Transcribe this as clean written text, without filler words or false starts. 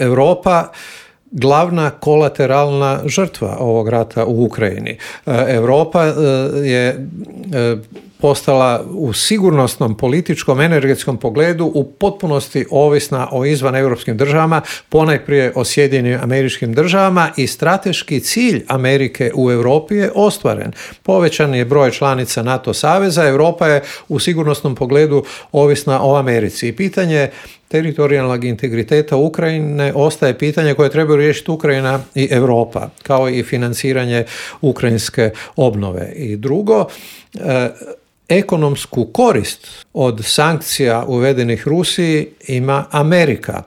Europa glavna kolateralna žrtva ovog rata u Ukrajini. Europa je postala u sigurnosnom, političkom, energetskom pogledu u potpunosti ovisna o izvaneuropskim državama, ponajprije o Sjedinjenim Američkim Državama, i strateški cilj Amerike u Europi je ostvaren. Povećan je broj članica NATO saveza, Europa je u sigurnosnom pogledu ovisna o Americi. I pitanje teritorijalnog integriteta Ukrajine ostaje pitanje koje trebaju riješiti Ukrajina i Europa, kao i financiranje ukrajinske obnove. I drugo, ekonomsku korist od sankcija uvedenih Rusiji ima Amerika.